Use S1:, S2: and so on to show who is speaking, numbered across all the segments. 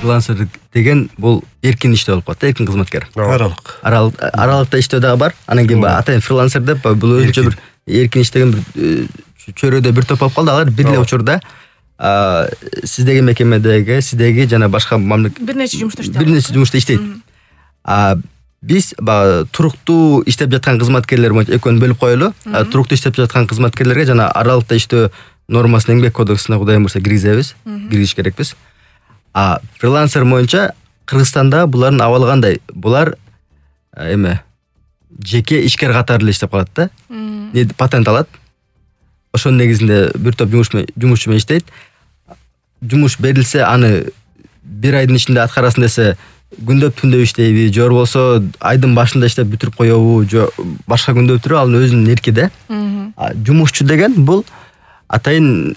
S1: фрилансер деген бул эркин иштөө болуп калат, эркин кызматкер. Аралыкта иштөө дагы бар. Анан кийин атайын фрилансер деп бул өзүнчө бир эркин иштеген бир чөйрөдө бир топ болуп калды. Алар бир эле учурда сиздеги мекемедеги, сиздеги жана башка
S2: бир нече
S1: жумушта иштейт. Биз туруктуу иштеп жаткан кызматкерлер боюнча экөөнү бөлүп коелу. Туруктуу иштеп жаткан кызматкерлерге жана аралыкта иштөө нормасын эмгек кодексине кудайым бурса киргизиш керекпиз. Фрилансер боюнча Кыргызстанда булардын абалы кандай? Булар жеке ишкер катары эле иштеп калат да. Патент алат. Ошонун негизинде бир топ жумушчу менен иштейт. Жумуш берилсе, аны бир айдын ичинде аткарасын десе, күндөп түндөп иштейби, же болбосо айдын башында иштеп бүтүрүп коебу, же башка күндө бүтүрүп, ал өзүнүн эрки да. Жумушчу деген бул атайын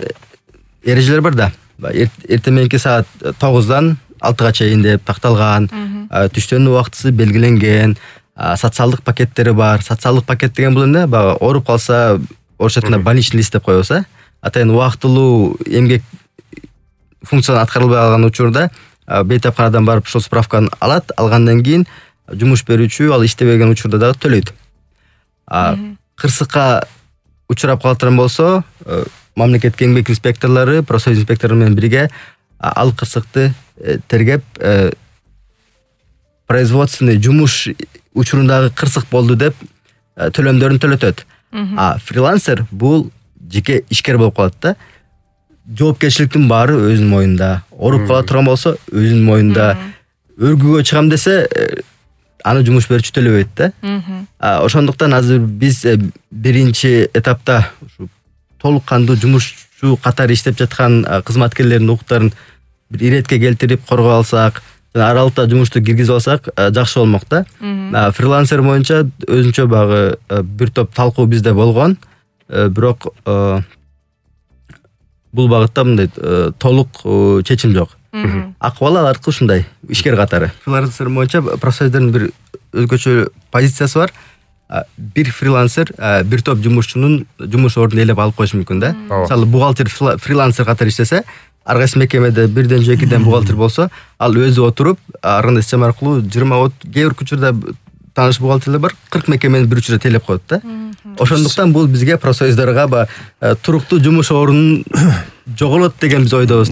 S1: эрежелер бар да. Эртең мененки саат 9-дан 6-га чейин деп такталган, түштөн убактысы белгиленген, социалдык пакеттери бар. Социалдык пакет деген бул эмне? Ооруп калса, орусча айтканда больничный лист деп коебуз, атайын убактылуу эмгек функцияны аткарылбай калган учурда бейтапканадан барып ошол справканы алат, алгандан кийин жумуш берүүчү ал иштебеген учурда дагы төлөйт. Кырсыкка учурап калган болсо, мамлекеттик эмгек инспекторлору, профсоюз инспектору менен бирге ал кырсыкты тергеп, производственный жумуш учурундагы кырсык болду деп төлөмдөрүн төлөтөт. Фрилансер бул жеке ишкер болуп калат да. Жоопкерчиликтин баары өзүнүн моюнда. Ооруп кала турган болсо өзүнүн моюнда. Өргүгө чыгам десе, аны жумуш берүүчү төлөбөйт да. Ошондуктан азыр биз биринчи этапта толук кандуу жумушчу катары иштеп жаткан кызматкерлердин укуктарын бир иретке келтирип коргой алсак, жана аралыкта жумушту киргизип алсак жакшы болмок да. Фрилансер боюнча өзүнчө багы бир топ талкуу бизде болгон, бирок бул багытта мындай толук чечим жок. Акыбалы алардыкы ушундай, ишкер катары. Фрилансер боюнча профсоюздордун бир өзгөчө позициясы бар. Бир фрилансер бир топ жумушчунун жумуш ордун ээлеп алып коюшу мүмкүн да. Мисалы, бухгалтер фрилансер катары иштесе, ар кайсы мекемеде бирден же экиден бухгалтер болсо, ал өзү отуруп, ар кандай система аркылуу 20 кээ бир учурда тааныш бухгалтерлер бар, 40 мекемени бир учурда тейлеп коет да. Ошондуктан бул бизге профсоюздорго туруктуу жумуш орнун жоголот деген биз ойдобуз.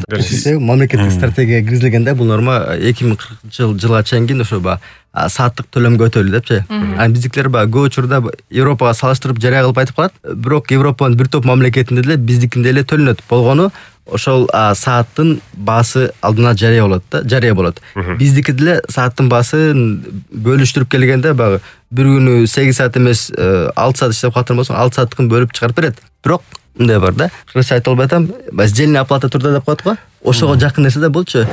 S1: Мамлекеттик стратегияга киргизилгенде бул норма 2040-жылга чейин ошо сааттык төлөмгө өтөлү депчи. Биздикилер көп учурда Европага салыштырып жарыя кылып айтып калат. Бирок Европанын бир топ мамлекетинде деле биздикинде эле төлөнөт болгону ошол сааттын баасы алдына жарыя болот. Биздики деле сааттын баасын бөлүштүрүп келгенде бир күнү 8 саат эмес 6 саат иштеп калган болсоң 6 сааттыкын бөлүп чыгарып берет. Бирок мындай бар да. Кыргызча айта албай атам, сдельная оплата труда деп коет го. Ошого жакын нерсе да булчу.